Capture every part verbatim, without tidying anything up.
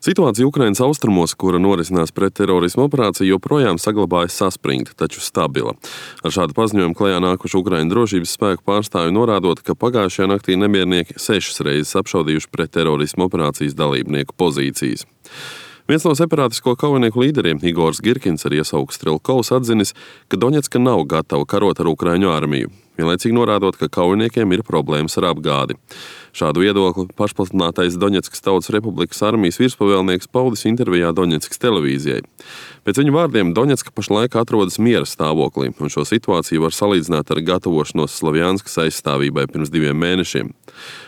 Situācija Ukrainas austrumos, kura norisinās pretterorisma operācija, joprojām saglabājas saspringta, taču stabila. Ar šādu paziņojumu klajā nākuši Ukraiņu drošības spēku pārstāvji norādot, ka pagājušajā naktī nemiernieki sešas reizes apšaudījuši pretterorisma operācijas dalībnieku pozīcijas. Viens no separātisko kaujinieku līderiem, Igors Girkins, ar iesauku Strelkovs, atzinis, ka Doņetska nav gatava karot ar Ukraiņu armiju, vienlaicīgi norādot, ka kaujiniekiem ir problēmas ar apgādi. Šādu viedokli pašpasludinātais Doņetskas Tautas Republikas armijas virspavēlnieks paudis intervijā Doņetskas televīzijai. Pēc viņa vārdiem Doņetska pašlaik atrodas miera stāvoklī, un šo situāciju var salīdzināt ar gatavošanos Slavjanskas aizstāvībai pirms diviem mēnešiem.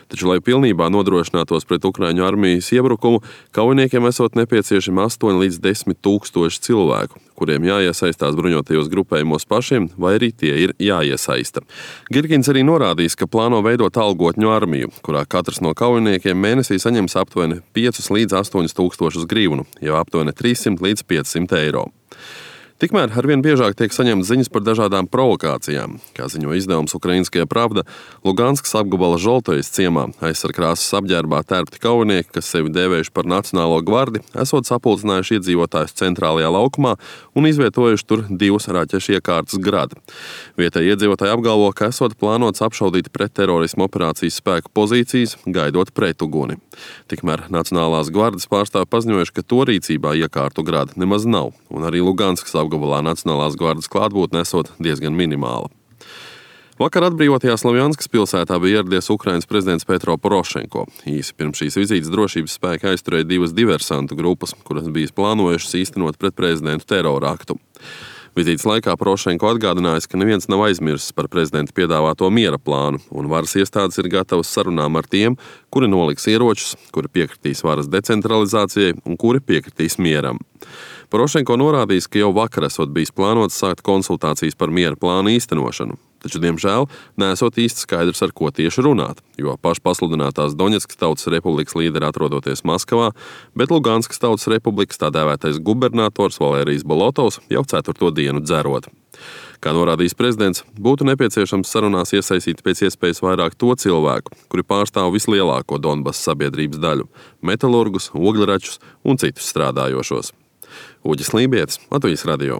Taču, lai pilnībā nodrošinātos pret Ukraiņu armijas iebrukumu, kaujiniekiem esot nepieciešami astoņi līdz desmit tūkstoši cilvēku, kuriem jāiesaistās bruņotajos grupējumos pašiem, vai arī tie ir jāiesaista. Girkins arī norādījis, ka plāno veidot algotņu armiju, kurā katrs no kaujiniekiem mēnesī saņems aptuveni piecus līdz astoņus tūkstošus grivnu, jau aptuveni trīssimt līdz piecsimt eiro. Tikmēr arvien biežāk tiek saņemtas ziņas par dažādām provokācijām. Kā ziņo izdevums Ukrainskajā Pravda, Luganskas apgabala Žoltojas ciemā aizsarkrāsas apģērbā tērpti kaujinieki, kas sevi dēvējuši par Nacionālo gvardi, esot sapulcinājuši iedzīvotājus centrālajā laukumā un izvietojuši tur divus raķešu iekārtas gradi. Vietēji iedzīvotāji apgalvo, ka esot plānots apšaudīt pretterorisma operācijas spēku pozīcijas, gaidot pretuguni. Tikmēr Nacionālās gvardas pārstāvi paziņojuši, ka to rīcībā iekārtu gradi nemaz nav, un arī Luganskas apgabalā Nacionālās gvardas klātbūtne esot diezgan minimāla. Vakar atbrīvotajā Slavjanskas pilsētā bija ieradies Ukrainas prezidents Petro Porošenko. Īsi pirms šīs vizītes drošības spēki aizturēja divas diversantu grupas, kuras bija plānojušas īstenot pret prezidentu terora aktu. Vizītes laikā Porošenko atgādinājis, ka neviens nav aizmirsis par prezidenta piedāvāto miera plānu, un varas iestādes ir gatavas sarunām ar tiem, kuri noliks ieročus, kuri piekritīs varas decentralizācijai un kuri piekritīs mieram. Porošenko norādījis, ka jau vakar esot bijis plānots sākt konsultācijas par miera plānu īstenošanu, taču, diemžēl, neesot īsti skaidrs, ar ko tieši runāt, jo pašpasludinātās Doņetskas Tautas Republikas līderi atrodoties Maskavā, bet Luganskas Tautas Republikas tā dēvētais gubernators Valērijas Bolotovs jau ceturto dienu dzerot. Kā norādījis prezidents, būtu nepieciešams sarunās iesaistīt pēc iespējas vairāk to cilvēku, kuri pārstāv vislielāko Donbass sabiedrības daļu – metalurgus, ogļračus un citus strādājošos. Uģis Lībietis, Latvijas radio.